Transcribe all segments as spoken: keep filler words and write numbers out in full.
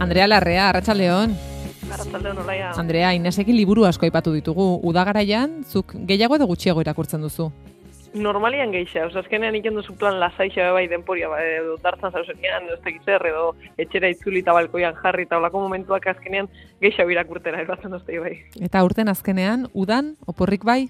Andrea Larrea, Arratsaldeon. Arratsaldeon, Olaia. Andrea, Inesekin liburu asko aipatu ditugu. Udagaraian, zuk gehiago edo gutxiago irakurtzen duzu? Normalian gehiago, oza, azkenean iken duzu plan lasaixa bai denporia, ba, edo dartzan zauzenean, edo ez tekizer, edo etxera itzuli eta balkoian jarri, eta olako momentuak azkenean gehiago irakurtera, erbatzen duzte bai. Eta urten azkenean, udan, oporrik bai?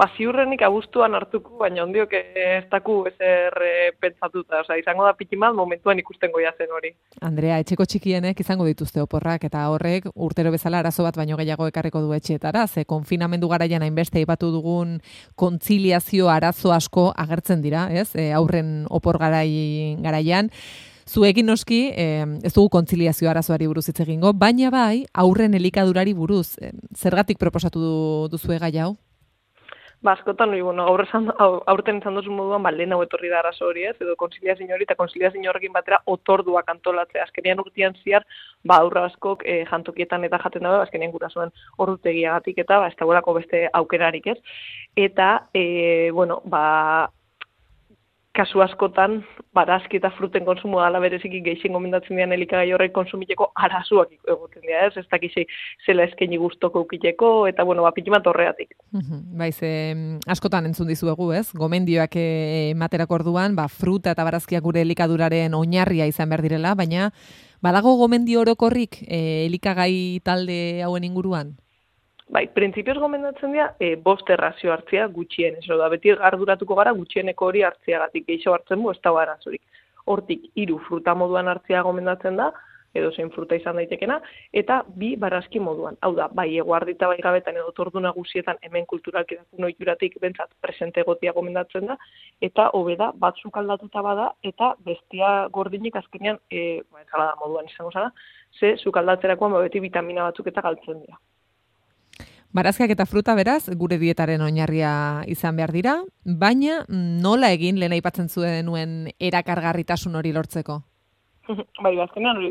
Ba, ziurrenik abuztuan hartuko, baina ondiok ez daku ezer e, pentsatuta, oza, izango da pikimal momentuan ikusten goia zen hori. Andrea, etxeko txikienek izango dituzte oporrak, eta horrek urtero bezala arazo bat baino gehiago ekarriko du etxeetara, ze konfinamendu garaian hainbeste aipatu dugun kontziliazio arazo asko agertzen dira, ez? E, aurren opor garai, garaian. Zuekin noski, eh, ez dugu kontziliazio arazoari buruz hitz egingo, baina bai, aurren elikadurari buruz. Eh, zergatik proposatu du, duzue gai hau? Ba, askotan, bueno, aurrezan, aurten izan duzun moduan, ba, lehen hau etorri da arazo hori, ez, edo konziliazio hori, eta konziliazio horrekin batera otorduak antolatzea. Azkenean urtean ziar, ba, aurra askok e, jantokietan eta jaten dago, azkenean gurasoen ordutegiagatik eta, ba, ez dagoelako beste aukerarik, ez. Eta, e, bueno, ba, kasu askotan, barazki eta fruten konsumo dala bereziki gehien gomendatzen dian elikagai horrek konsumiteko arazoak egoten dira, ez? Ez dakizi zela eskaini gustoko ukiteko, eta, bueno, ba, pitimat horregatik. Baiz, eh, askotan entzun dizuegu, ez? Gomendioak ematerako orduan, ba, fruta eta barazkiak gure elikaduraren oinarria izan behar direla, baina badago gomendio orokorrik eh, elikagai talde hauen inguruan? Bai, printzipioz gomendatzen dira, e, bost errazio hartzea gutxien, eso da, beti arduratuko gara gutxieneko hori hartzeagatik, gehiago hartzen bu, ez da arazorik. Hortik, hiru fruta moduan hartzea gomendatzen da, edo zein fruta izan daitekena, eta bi barazki moduan. Hau da, bai eguardita bai gabetan edo tordu nagusietan hemen kulturalki dakun ohituratik bentsat presente egotia gomendatzen da, eta hobe da, batzuk aldatuta bada, eta bestia gordinik azkenean, e, ba, ensalada moduan izango zara, ze sukaldatzerakoan ba, beti vitamina batzuk eta galtzen dira. Barazkiak eta fruta beraz, gure dietaren oinarria izan behar dira, baina nola egin lehen aipatzen zuen erakargarritasun hori lortzeko? Bai, azkenean hori,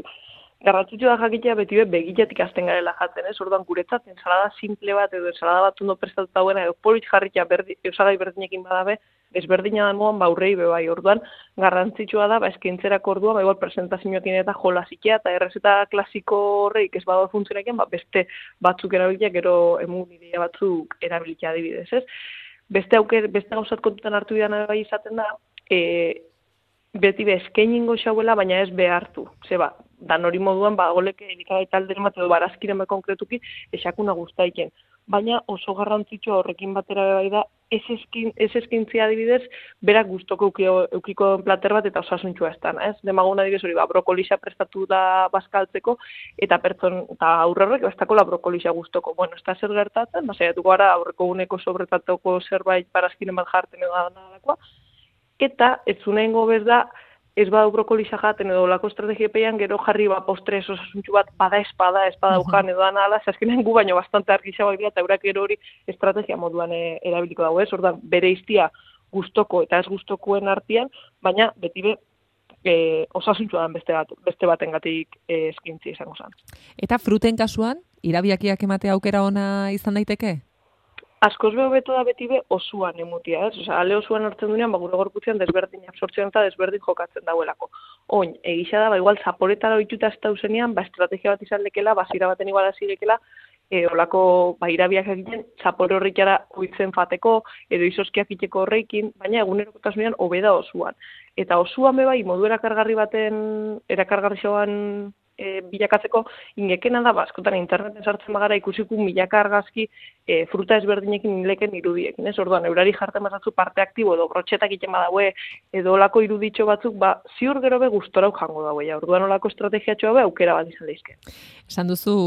garrantzitsua da jakitea beti begitatik hasten garela jatzen, ez? Orduan guretzat ensalada simple bat edo ensalada bat ondo prestatuta duena edo polit jarrikia berdi, osagai berdinekin badabe, ezberdina da moan baurrei be bai. Orduan garrantzitsua da ba eskaintzerako orduan ba igual presentazioekin eta jolasikia eta errezeta klasiko horreik ez badago funtzionekin, ba beste batzuk erabilia gero emun ideia batzuk erabilia adibidez, ez? Beste auker, beste gauzat kontutan hartu dira bai izaten da, e, beti be eskainingo xauela, baina ez behartu. Zeba, dan hori moduan, ba, goleke elikagai talderen bat edo barazkiren bat konkretuki esakuna guztaiken. Baina oso garrantzitsua horrekin batera bai da, ez, eskin, ez eskintzia adibidez, berak gustoko eukiko plater bat eta osasuntsua ez dana, ez? Demagun adibidez hori, ba, brokolisa prestatu da bazkaltzeko, eta pertson, eta aurrerrek, bestako la brokolisa gustoko. Bueno, ez da zer gertatzen, ba, saiatuko gara aurreko guneko sobretatoko zerbait barazkiren bat jarten edo da eta ez zunengo bez da, ez badu brokolisa jaten edo lako estrategiapeian gero jarri ba postre osasuntsu bat bada espada, espada ujan edo anala, azkenean gu baino bastante argisagoak dira eta eurak gero hori estrategia moduan e, erabiliko dago, ez? Ordan bere iztia gustoko eta ez gustokoen artean, baina beti be e, osasuntsua den beste bat, beste batengatik e, eskintzi izango zen. Eta fruten kasuan, irabiakiak ematea aukera ona izan daiteke? Askoz be hobeto da beti be osuan emutia, ez? Osea, ale osuan hartzen duenean, ba, gure gorputzean desberdin absortzioan eta desberdin jokatzen dauelako. Oin, egisa da, ba, igual, zaporetara ohituta ez dauzenean, ba, estrategia bat izan lekela, bazira baten igual azilekela, e, olako, ba, irabiak egiten, zapore horrikara oitzen fateko, edo izoskiak iteko horreikin, baina egunerokotasunean hobeda osuan. Eta osuan be bai, modu erakargarri baten, erakargarri zoan, E, bilakatzeko, ingekena da, askotan interneten sartzen bagara ikusiku milaka argazki e, fruta ezberdinekin inleken irudiekin, ez? Orduan, eurari jartzen bazatzu parte aktibo edo brotxetak iten badaue, edo olako iruditxo batzuk, ba, ziur gero be gustorau jango daue, ja. Orduan olako estrategiatxoa be aukera bat izan leizke. Esan duzu,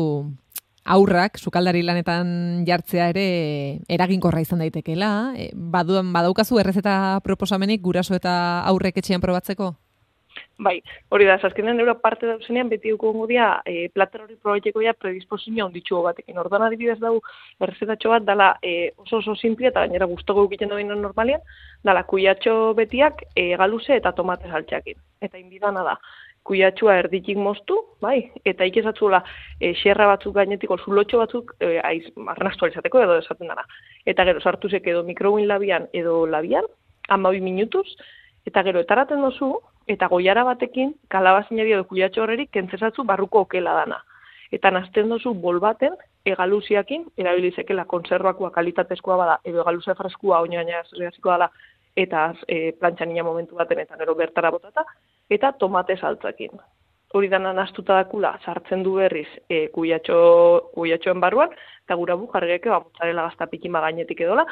aurrak, sukaldari lanetan jartzea ere eraginkorra izan daitekeela, e, baduan, badaukazu errezeta proposamenik guraso eta aurrek etxean probatzeko? Bai, hori da, azkenean euro parte dauzenean beti dukongo dia e, plater hori probaiteko ja predisposizio onditxugo batekin. Orduan adibidez dau errezetatxo bat dala e, oso oso simple eta gainera gustoko egiten doinen normalian, dala kuiatxo betiak e, galuze eta tomate saltxakin. Eta inbidana da, kuiatxua erditik moztu, bai, eta ikezatzula e, xerra batzuk gainetik, zulotxo batzuk e, aiz, arnastu alizateko edo esaten dara. Eta gero sartuzek edo mikrobuin labian edo labian, hamabi minutuz, eta gero etaraten dozu, eta goiara batekin, kalabazinari edo kuiatxo horreri kentzesatzu barruko okela dana. Eta nazten dozu bol baten, egaluziakin, erabilizekela konserbakoa kalitatezkoa bada, edo egaluzia freskua, oina gaina zergazikoa dela, eta e, plantxanina momentu baten, eta gero bertara botata, eta tomate saltzakin. Hori dana nastuta dakula, sartzen du berriz e, kuiatxo, kuiatxoen barruan, eta gura bu jarriake, ba, mozzarella gaztapikin ba gainetik edola,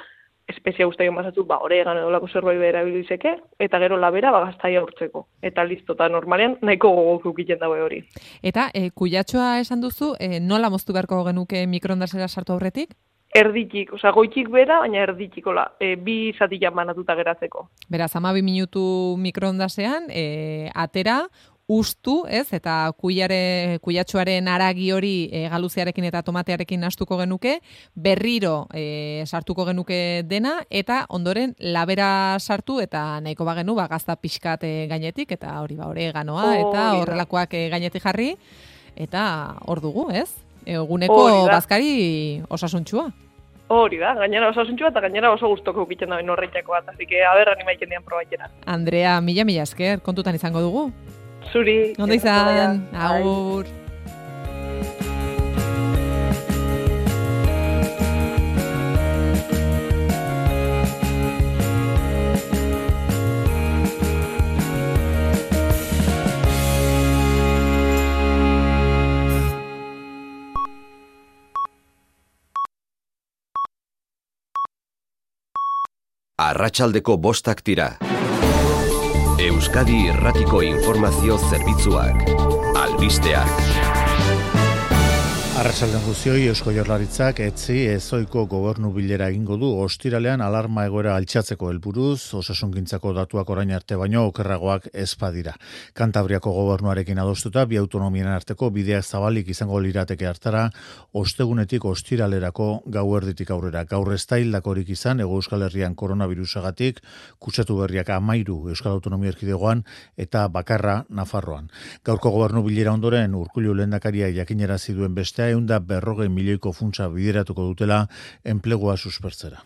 espezia guztaion basatzu, ba, oregan edolako zerbait behar erabilizeke, eta gero labera ba, gaztaia urtzeko. Eta listo, eta normalean nahiko gogok ukiten daue hori. Eta e, kuiatxoa esan duzu, e, nola moztu beharko genuke mikroondasera sartu aurretik? Erditik, oza, goitik bera, baina erditikola, e, bi zatilan banatuta geratzeko. Beraz, hamabi minutu mikroondasean, e, atera, ustu, ez? Eta kuiare, kuiatxoaren aragi hori e, galuziarekin eta tomatearekin nastuko genuke, berriro e, sartuko genuke dena, eta ondoren labera sartu, eta nahiko bagenu, ba, gazta pixkat e, gainetik, eta hori ba, oreganoa, oh, eta horrelakoak e, gainetik jarri, eta hor dugu, ez? Eguneko oh, bazkari osasuntxua. Hori da, gainera osasuntxua eta gainera oso gustoko ukiten da horreitako bat, así que aber animaiken dian probaitera. Andrea, mila mila esker, kontutan izango dugu. Zuri. Ondo izan, agur. Arratsaldeko bostak dira. Euskadi Irratiko Informazio Zerbitzuak. Albisteak. Arratsaldean guztioi, Eusko Jaurlaritzak etzi ezoiko gobernu bilera egingo du ostiralean alarma egoera altxatzeko helburuz, osasungintzako datuak orain arte baino okerragoak ez badira. Kantabriako gobernuarekin adostuta bi autonomien arteko bideak zabalik izango lirateke hartara, ostegunetik ostiralerako gauerditik aurrera. Gaur ez da hildakorik izan, Hego Euskal Herrian koronavirusagatik, kutsatu berriak amairu Euskal Autonomia Erkidegoan eta bakarra Nafarroan. Gaurko gobernu bilera ondoren Urkullu lehendakaria jakinarazi duen bestea eunda berrogei milioiko funtsa bideratuko dutela enplegua suspertzera.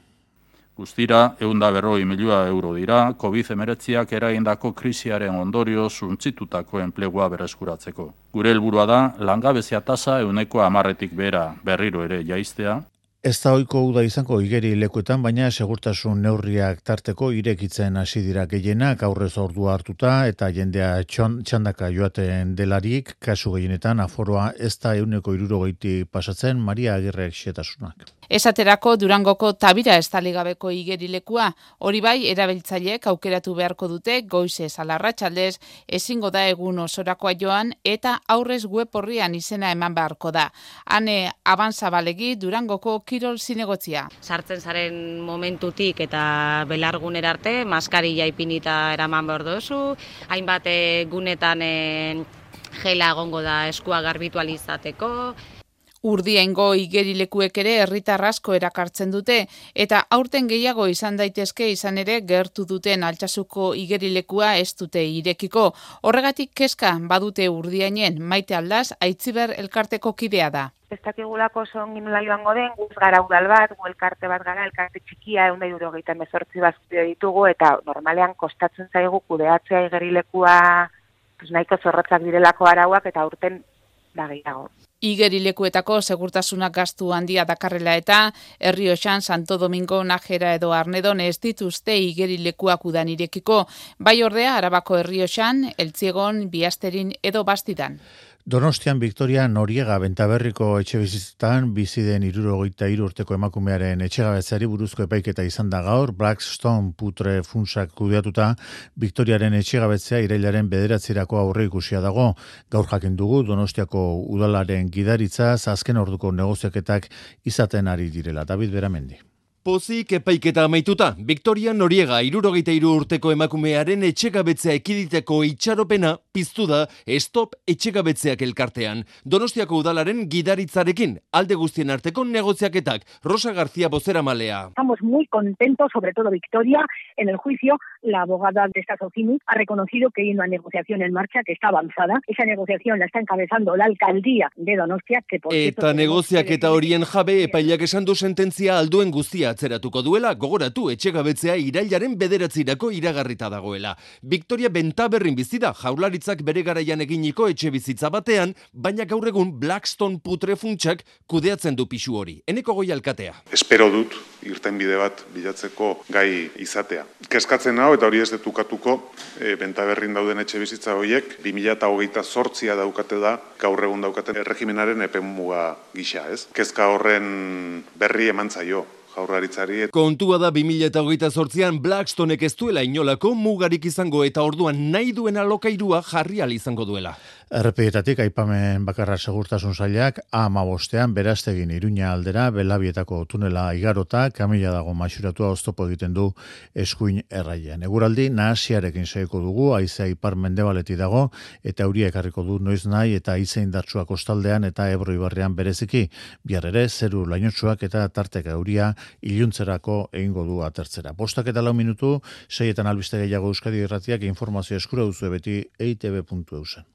Guztira, eunda berrogei milioa euro dira, covid hemeretziak eragindako krisiaren ondorio suntzitutako enplegua bereskuratzeko. Gure helburua da, langabezia tasa euneko hamarretik bera berriro ere jaistea. Ez da ohiko uda izango igeri lekuetan, baina segurtasun neurriak tarteko irekitzen hasi dira gehienak, aurrez ordua hartuta eta jendea txandaka joaten delarik, kasu gehienetan aforoa ez da euneko hirurogeiti pasatzen. Maria Agirrek xetasunak. Esaterako Durangoko Tabira estaligabeko igerilekua, hori bai erabiltzaileek aukeratu beharko dute goizez alarratsaldez, ezingo da egun osorakoa joan eta aurrez web orrian izena eman beharko da. Hane Abanzabalegi Durangoko kirol zinegotzia. Sartzen zaren momentutik eta belargunera arte, maskarilla ipinita eraman behar duzu, hainbat gunetan e, gela egongo da eskua garbitualizateko. Urdiengo igerilekuek ere herritar asko erakartzen dute eta aurten gehiago izan daitezke izan ere gertu duten Altsasuko igerilekua ez dute irekiko. Horregatik kezka badute Urdiainen Maite Aldaz Aitziber elkarteko kidea da. Ez dakigulako oso ongi nola joango den, guz gara udal bat, gu elkarte bat gara, elkarte txikia, eunda hirurogeita hemezortzi bazkide ditugu, eta normalean kostatzen zaigu kudeatzea igerilekua pues, nahiko zorrotzak direlako arauak eta aurten da gehiago. Igerilekuetako segurtasunak gastu handia dakarrela eta Errioxan, Santo Domingo, Najera edo Arnedon ez dituzte igerilekuak udan irekiko, bai ordea Arabako Errioxan, Eltziegon, Biasterin edo Bastidan. Donostian Victoria Noriega Bentaberriko etxebizitzatan bizi den hirurogeita hiru urteko emakumearen etxegabetzeari buruzko epaiketa izan da gaur. Blackstone putre funtsak kudeatuta Victoriaren etxegabetzea irailaren bederatzirako aurre ikusia dago. Gaur jakin dugu Donostiako udalaren gidaritzaz azken orduko negoziaketak izaten ari direla. David Beramendi. Pozik epaiketa amaituta, Victoria Noriega hirurogeita hiru urteko emakumearen etxegabetzea ekiditeko itxaropena piztu da Stop Etxegabetzeak elkartean. Donostiako udalaren gidaritzarekin alde guztien arteko negoziaketak. Rosa García bozeramalea. Estamos muy contentos, sobre todo Victoria. En el juicio, la abogada de esta Socimi ha reconocido que hay una negociación en marcha que está avanzada. Esa negociación la está encabezando la alcaldía de Donostia. Que por Eta negoziaketa horien jabe epaileak esan du sententzia alduen guztia atzeratuko duela, gogoratu etxegabetzea irailaren bederatzirako iragarrita dagoela. Victoria Bentaberrin bizi da Jaurlaritzak bere garaian eginiko etxe bizitza batean, baina gaur egun Blackstone putrefuntsak kudeatzen du pisu hori. Eneko Goi alkatea. Espero dut irtenbide bat bilatzeko gai izatea. Kezkatzen hau eta hori ez detukatuko, e, Bentaberrin dauden etxe bizitza horiek bi mila hogeita zortzia daukate da gaur egun daukaten erregimenaren epemuga gisa, ez? Kezka horren berri eman zaio Jaurlaritzari. Kontua da bi mila hogeita zortzian Blackstonek ez duela inolako mugarik izango eta orduan nahi duen alokairua jarri ahal izango duela. Errepideetatik aipamen bakarra segurtasun sailak A hamabostean Berastegin Iruña aldera Belabietako tunela igarota kamila dago maixuratua oztopo egiten du eskuin erraian. Eguraldi nahasiarekin segiko dugu, haizea ipar mendebaletik dago eta euria ekarriko du noiz nahi eta haize indartsua kostaldean eta Ebro ibarrean bereziki. Bihar ere zeru lainotsuak eta tarteka euria iluntzerako egingo du atertzera. Bostak eta lau minutu, seietan albiste gehiago Euskadi Irratiak informazio eskura duzu beti e i te be puntu eusen.